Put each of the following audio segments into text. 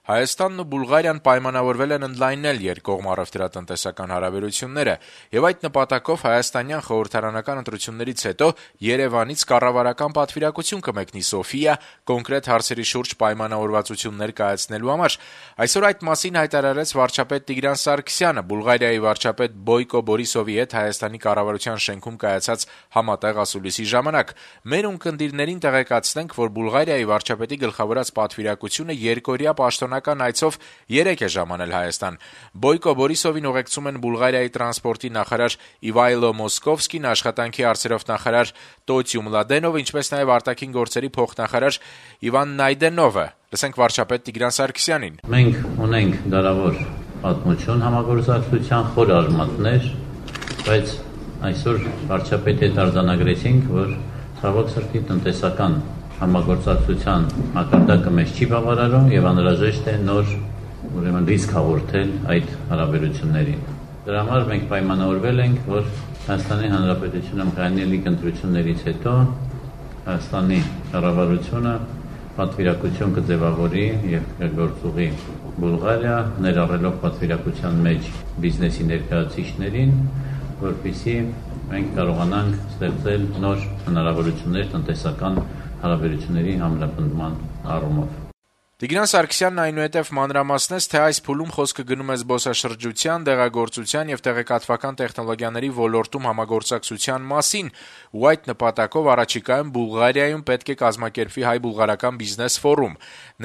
Հայաստանն ու Բուլղարիան պայմանավորվել են ընդլայնել երկկողմ առևտրատնտեսական հարաբերությունները, եւ այդ նպատակով հայաստանյան խորհրդարանական ընտրություններից հետո Երևանից կառավարական պատվիրակություն կմեկնի Սոֆիա կոնկրետ հարցերի շուրջ պայմանավորվածություններ կայացնելու համար։ Այսօր այդ մասին հայտարարեց վարչապետ Տիգրան Սարգսյանը Բուլղարիայի վարչապետ Բոյկո Բորիսովի հետ Հայաստանի կառավարության շենքում կայացած համատեղ ասուլիսի ժամանակ։ Մեր ունկնդիրներին տեղեկացնենք, որ Բուլղարիայի վարչապետի գլխավորած պատվիրակությունը երկօրյա պաշտոնական այցով 3 է ժամանել Հայաստան։ Բոյկո Բորիսովին ուղեկցում են Բուլղարիայի տրանսպորտի նախարար Իվայլո Մոսկովսկին, աշխատանքի հարցերով նախարար Տոտյու Մլադենովը, ինչպես նաև արտաքին գործերի փոխնախարար Իվան Նայդենովը։ Լսենք վարչապետ Տիգրան Սարգսյանին։ Մենք ունենք դարավոր պատմություն համագործակցության խոր արմատներ, բայց այսօր վարչապետի հետ արձանագրեցինք, որ ցավոք սրտի տնտեսական համագործակցության մակարդակը մեզ չի բավարարում եւ անհրաժեշտ է նոր ռիսկ հաղորդել այդ հարաբերություններին։ Դրա համար մենք պայմանավորվել ենք, որ Հայաստանի Հանրապետությունում կայացնելիք ընտրություններից հետո Հայաստանի կառավարությունը պատվիրակություն կձևավորի եւ կգործուղի Բուլղարիա, ներառելով պատվիրակության մեջ բիզնեսի ներկայացուցիչներին, որպեսզի մենք կարողանանք ստեղծել նոր հնարավորություններ տնտեսական հարաբերությունների համապնդման առումով։ Տիգրան Սարգսյանն այնուհետև մանրամասնեց, թե այս փուլում խոսքը գնում է զբոսաշրջության, դեղագործության եւ տեղեկատվական տեխնոլոգիաների ոլորտում համագործակցության մասին, ու այդ նպատակով առաջիկայում Բուլղարիայում պետք է կազմակերպվի հայ-բուլղարական բիզնես ֆորում։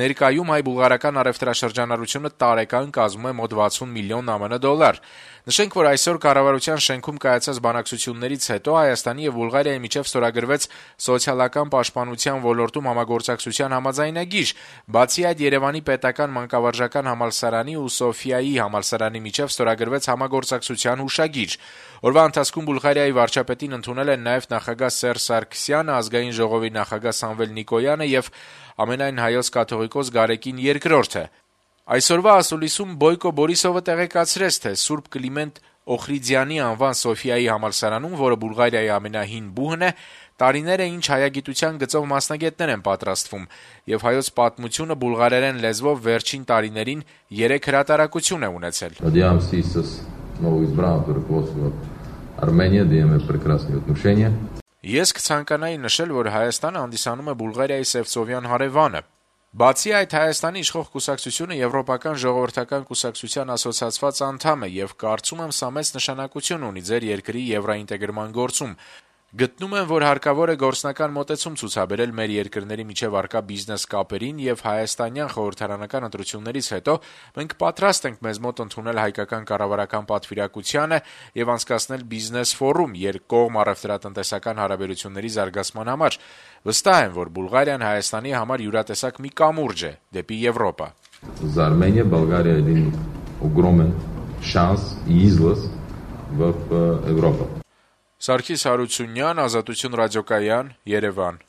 Ներկայում հայ-բուլղարական առևտրաշրջանառությունը տարեկան կազմում է մոտ 60 միլիոն ԱՄՆ դոլար։ Նշենք, որ այսօր կառավարության շենքում կայացած բանակցություններից հետո Հայաստանի եւ Բուլղարիայի միջև ստորագրվեց սոցիալական պաշտպանության ոլորտում համագործակցության համաձայնագիր։ Բացի այդ, Երևանի պետական մանկավարժական համալսարանի ու Սոֆիայի համալսարանի միջև ստորագրվեց համագործակցության հուշագիր։ Օրվա ընթացքում Բուլղարիայի վարչապետին ընդունել են նաեւ նախագահ Սերժ Սարգսյանը, ազգային ժողովի նախագահ Սամվել Նիկոյանը եւ ամենայն հայոց կաթողիկոս Գարեգին II-ը։ Այսօրվա ասուլիսում Բոյկո Բորիսովը տեղեկացրեց, թե Սուրբ Կլիմենտ Օխրիդյանի անվան Սոֆիայի համալսարանում, որը Բուլղարիայի ամենահին բուհն է, տարիներ է ինչ հայագիտության գծով մասնագետներ են պատրաստվում, եւ հայոց պատմությունը բուլղարերեն լեզվով վերջին տարիներին 3 հրատարակություն է ունեցել։ Ես կցանկանայի նշել, որ Հայաստանը հանդիսանում է Բուլղարիայի Սևծովյան հարևանը։ Բացի այդ, Հայաստանի իշխող կուսակցությունը Եվրոպական ժողովրդական կուսակցության ասոցիացված անդամ է եւ կարծում եմ սա մեծ նշանակություն ունի ձեր երկրի եվրոինտեգրման գործում։ Գտնում եմ, որ հարկավոր է գործնական մոտեցում ցուցաբերել մեր երկրների միջև առկա բիզնես կապերին եւ հայաստանյան խորհրդարանական ընտրություններից հետո մենք պատրաստ ենք մեզ մոտ ընդունել հայկական կառավարական պատվիրակությանը եւ անցկացնել բիզնես ֆորում երկկողմ առևտրատնտեսական հարաբերությունների զարգացման համար։ Վստահ եմ, որ Բուլղարիան Հայաստանի համար յուրատեսակ մի կամուրջ է դեպի Եվրոպա։ За Армения, Болгария один огромен шанс и излаз в Европу. Սարգիս Հարությունյան, Ազատություն ռադիոկայան, Երևան։